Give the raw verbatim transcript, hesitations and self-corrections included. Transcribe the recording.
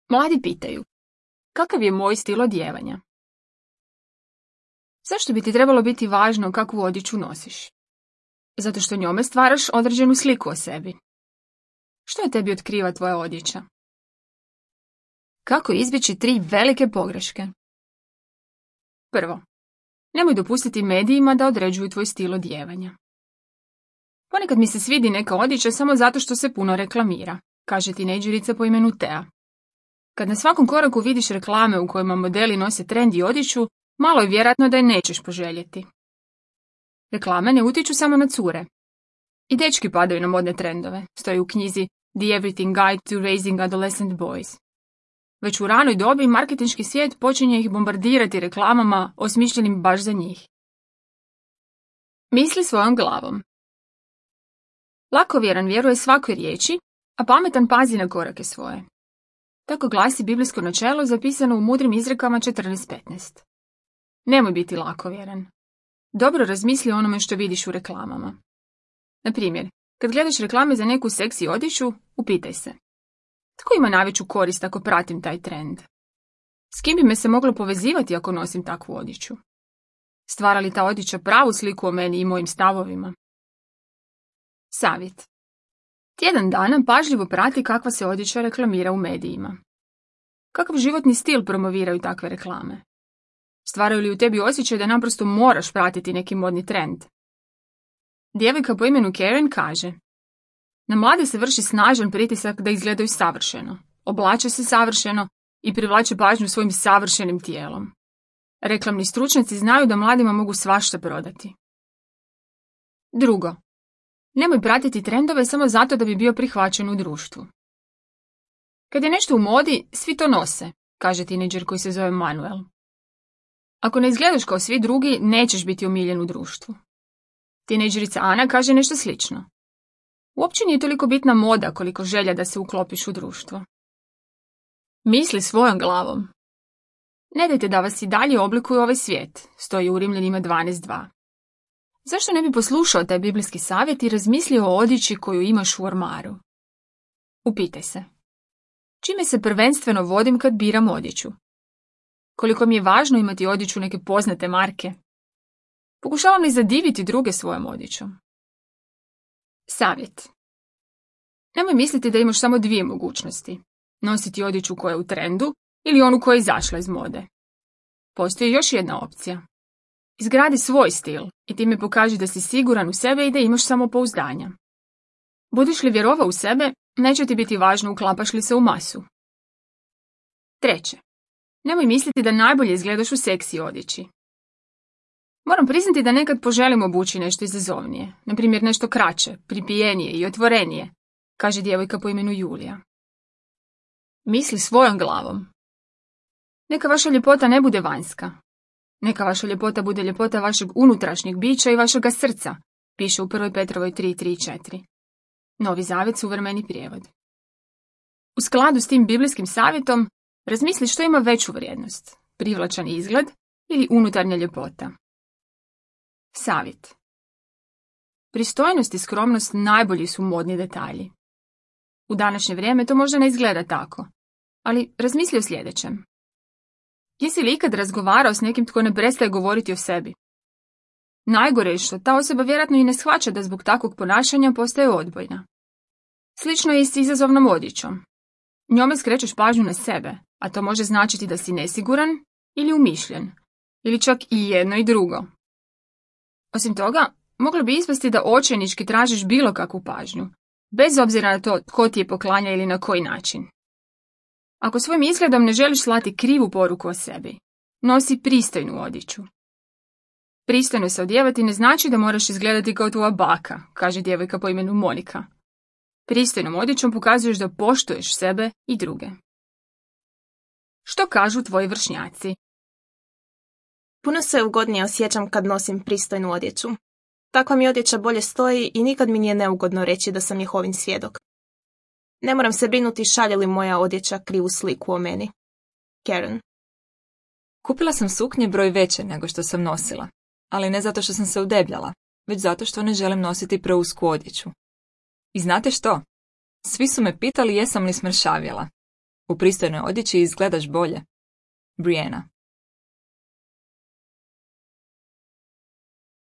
Mladi pitaju, kakav je moj stil odijevanja? Zašto bi ti trebalo biti važno kakvu odjeću nosiš? Zato što njome stvaraš određenu sliku o sebi. Što je tebi otkriva tvoja odjeća? Kako izbjeći tri velike pogreške? Prvo, nemoj dopustiti medijima da određuju tvoj stil odijevanja. Ponekad mi se svidi neka odjeća samo zato što se puno reklamira, kaže tinejdžerica po imenu Tea. Kad na svakom koraku vidiš reklame u kojima modeli nose trendi odjeću, malo je vjerojatno da je nećeš poželjeti. Reklame ne utiču samo na cure. I dečki padaju na modne trendove, stoji u knjizi The Everything Guide to Raising Adolescent Boys. Već u ranoj dobi marketinški svijet počinje ih bombardirati reklamama osmišljenim baš za njih. Misli svojom glavom. Lakovjeran vjeruje svakoj riječi, a pametan pazi na korake svoje. Tako glasi biblijsko načelo zapisano u mudrim izrekama četrnaest petnaest. Nemoj biti lakovjeran. Dobro razmisli o onome što vidiš u reklamama. Na primjer, kad gledaš reklame za neku seksi odjeću, upitaj se. Tko ima najveću korist ako pratim taj trend? S kim bi me se moglo povezivati ako nosim takvu odjeću? Stvara li ta odjeća pravu sliku o meni i mojim stavovima? Savjet. Tjedan dana pažljivo prati kakva se odjeća reklamira u medijima. Kakav životni stil promoviraju takve reklame? Stvaraju li u tebi osjećaj da naprosto moraš pratiti neki modni trend? Djevojka po imenu Karen kaže: na mlade se vrši snažan pritisak da izgledaju savršeno, oblače se savršeno i privlače pažnju svojim savršenim tijelom. Reklamni stručnjaci znaju da mladima mogu svašta prodati. Drugo, nemoj pratiti trendove samo zato da bi bio prihvaćen u društvu. Kad je nešto u modi, svi to nose, kaže tinejdžer koji se zove Manuel. Ako ne izgledaš kao svi drugi, nećeš biti omiljen u društvu. Tinejdžerica Ana kaže nešto slično. Uopće nije toliko bitna moda koliko želja da se uklopiš u društvo. Misli svojom glavom. Ne dajte da vas i dalje oblikuje ovaj svijet, stoji u Rimljanima dvanaest dva. Zašto ne bi poslušao taj biblijski savjet i razmislio o odjeći koju imaš u ormaru? Upitaj se. Čime se prvenstveno vodim kad biram odjeću? Koliko mi je važno imati odjeću neke poznate marke? Pokušavam li zadiviti druge svojom odjećom? Savjet. Nemoj misliti da imaš samo dvije mogućnosti. Nositi odjeću koja je u trendu ili onu koja je izašla iz mode. Postoji još jedna opcija. Izgradi svoj stil i time pokaži da si siguran u sebe i da imaš samopouzdanja. Budiš li vjerovao u sebe, neće ti biti važno uklapaš li se u masu. Treće. Nemoj misliti da najbolje izgledaš u seksi odjeći. Moram priznati da nekad poželim obući nešto izazovnije, na primjer nešto kraće, pripijenije i otvorenije, kaže djevojka po imenu Julija. Misli svojom glavom. Neka vaša ljepota ne bude vanjska. Neka vaša ljepota bude ljepota vašeg unutrašnjeg bića i vašega srca, piše u prvoj Petrovoj tri tri četiri. Novi zavjet, suvremeni prijevod. U skladu s tim biblijskim savjetom, razmisli što ima veću vrijednost, privlačan izgled ili unutarnja ljepota. Savjet. Pristojnost i skromnost najbolji su modni detalji. U današnje vrijeme to možda ne izgleda tako, ali razmisli o sljedećem. Jesi li ikad razgovarao s nekim tko ne prestaje govoriti o sebi? Najgore je što ta osoba vjerojatno i ne shvaća da zbog takvog ponašanja postaje odbojna. Slično je i s izazovnom odjećom. Njome skrećeš pažnju na sebe, a to može značiti da si nesiguran ili umišljen, ili čak i jedno i drugo. Osim toga, moglo bi ispasti da očajnički tražiš bilo kakvu pažnju, bez obzira na to tko ti je poklanja ili na koji način. Ako svojim izgledom ne želiš slati krivu poruku o sebi, nosi pristojnu odjeću. Pristojno se odjevati ne znači da moraš izgledati kao tvoja baka, kaže djevojka po imenu Monika. Pristojnom odjećom pokazuješ da poštuješ sebe i druge. Što kažu tvoji vršnjaci? Puno se ugodnije osjećam kad nosim pristojnu odjeću. Takva mi odjeća bolje stoji i nikad mi nije neugodno reći da sam Jehovin svjedok. Ne moram se brinuti šalje li moja odjeća krivu sliku o meni. Karen. Kupila sam suknje broj veće nego što sam nosila, ali ne zato što sam se udebljala, već zato što ne želim nositi preusku odjeću. I znate što? Svi su me pitali jesam li smršavjela. U pristojnoj odjeći izgledaš bolje. Brianna.